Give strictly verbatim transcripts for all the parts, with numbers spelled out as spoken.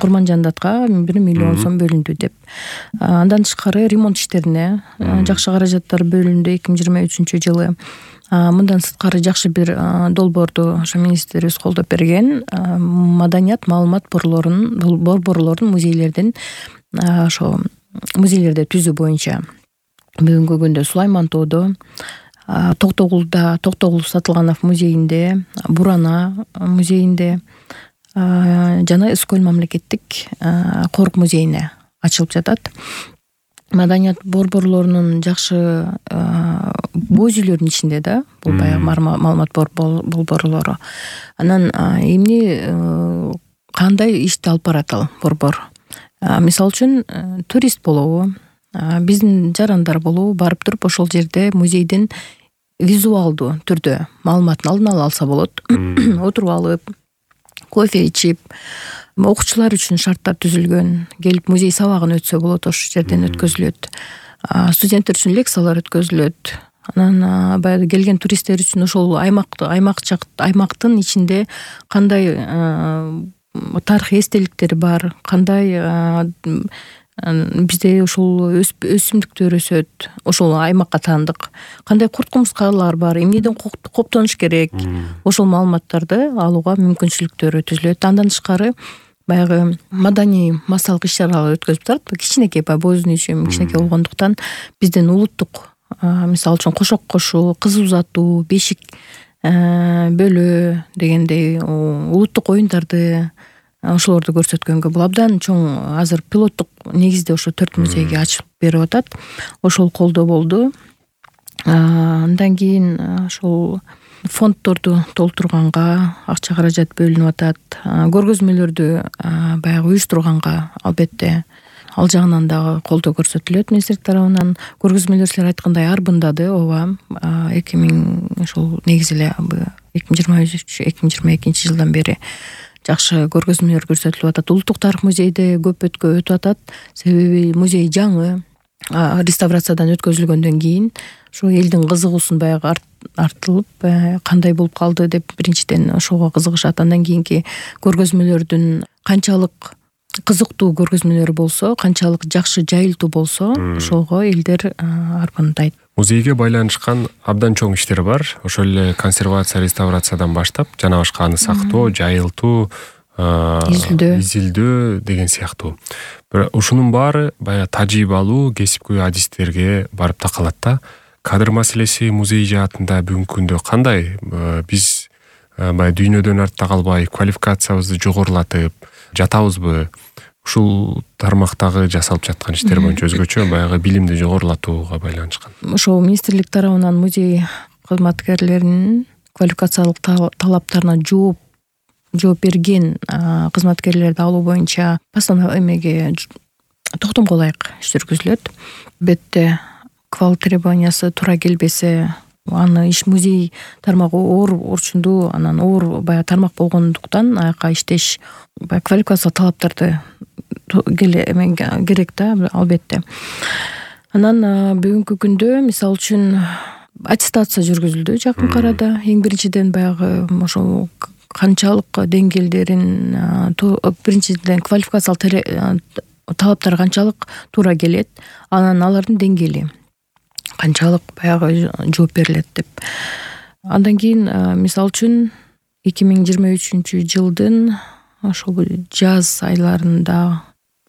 Курманжандатка бир миллион сом бөлүндү деп. Андан тышкары ремонт иштерине жакшы каражаттар бөлүндү эки миң жыйырма үчүнчү жылы. Мындан сырткары жакшы бир долбоорду ошо министрибиз колдоп берген. Маданият маалымат борборлорунун борборлордун музейлердин ошо музейлерди түзүү боюнча бүгүнкү күндө Сулайман тоодо, Токтогулда, Токтогул Сатылганов музейинде, Бурана музейинде жана Ыскөл мамлекеттик корк музейине ачылып жатат. Маданият борборлорунун жакшы боз үйлөрдүн ичинде да, бул баягы маалымат борборлору. Анан эмне кандай ишти алып барат ал борбор? Мисалы үчүн турист болобу, биздин жарандар болобу барып туруп ошол жерде музейдин визуалдуу түрдө маалыматын алдын ала алса болот. Отуруп алып, кофе ичип, окуучулар үчүн шарттар түзүлгөн. Келип музей сабагын өтсө болот, ошол жерден өткөзүлөт. Студенттер үчүн лекциялар өткөзүлөт. Анан баягы келген туристтер үчүн ошол аймак аймактын ичинде кандай тарыхый эстеликтер бар, кандай бизде ушул өсүмдүктөр өсөт, ошол аймакка таандык, кандай курт кумурскалар бар, эмнеден коптонуш керек, ошол маалыматтарды алууга мүмкүнчүлүктөрү түзүлөт. Андан тышкары баягы маданий массалык иш-чаралар өткөзүп турат. Кичинекей боздун ичим кичинекей болгондуктан биздин улуттук, мисалы үчүн кошок кошуу, кыз узатуу, бешик бөлөө дегендей улуттук оюндарды ошолорду көрсөткөнгө бул абдан чоң азыр пилоттук негизде ошо төрт музейге ачып берип атат. Ошол колдоо болду. Андан кийин ошол фонддорду толтурганга акча каражат бөлүнүп атат. Көргөзмөлөрдү баягы уюштурганга албетте ал жагынан дагы колдоо көрсөтүлөт министрлик тарабынан. Көргөзмөлөр силер айткандай арбындады, ооба. эки миң ошол негизи эле эки миң жыйырма үч эки миң жыйырма экинчи жылдан бери жакшы көргөзмөлөр көрсөтүлүп атат. Улуттук тарых музейде көп өтүп атат. Себеби музей жаңы, реставрациядан өткөзүлгөндөн кийин ошо элдин кызыгуусун баягы артылып, кандай болуп калды деп биринчиден ошого кызыгышат. Андан кийинки көргөзмөлөрдүн канчалык кызыктуу көргөзмөлөр болсо, канчалык жакшы жайылтуу болсо, ошого элдер арбандайт. Музейге байланышкан абдан чоң иштер бар. Ошол эле консервация, реставрациядан баштап, жана башка аны сактоо, жайылтуу, изилдөө деген сыяктуу. Ушунун баары баягы тажрыйба алуу, кесипкөй адистерге барып такалат да. Кадр маселеси музей жаатында бүгүнкү күндө кандай? Биз баягы дүйнөдөн артта калбай, квалификациябызды жогорулатып жатабызбы? Ушул тармактагы жасалып жаткан иштер боюнча өзгөчө баягы билимди жогорулатууга байланышкан. Ошол министрлик тарабынан музей кызматкерлеринин квалификациялык талаптарына жооп жооп берген кызматкерлерди алуу боюнча постанова эмеге токтом кылайык иш жүргүзүлөт. Бетте квал требованиясы туура келбесе, аны иш музей тармагы оор орчундуу, анан оор баягы тармак болгондуктан аяка иштеш баягы квалификациялык талаптарды керек да, албетте. Анан бүгүнкү күндө мисалы үчүн аттестация жүргүзүлдү жакынкы арада. Эң биринчиден баягы ошол канчалык деңгээлдерин, биринчиден квалификациялык талаптар канчалык туура келет, анан алардын деңгээли канчалык баягы жооп берилет деп. Андан кийин мисалы үчүн эки миң жыйырма үчүнчү жылдын ошол жаз айларында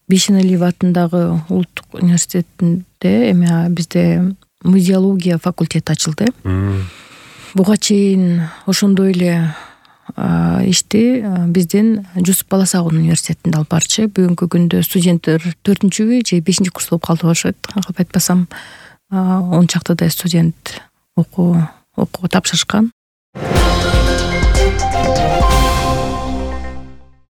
Бейшеналиев атындагы улуттук университетинде эме бизде музеология факультети ачылды. Буга чейин ошондой эле ишти биздин Жусуп Баласагун университетинде алып барчы. Бүгүнкү күндө студенттер төртүнчү же бешинчи курс болуп калды болушат. Калп айтпасам он чактыдай студент окуу окууга тапшырышкан.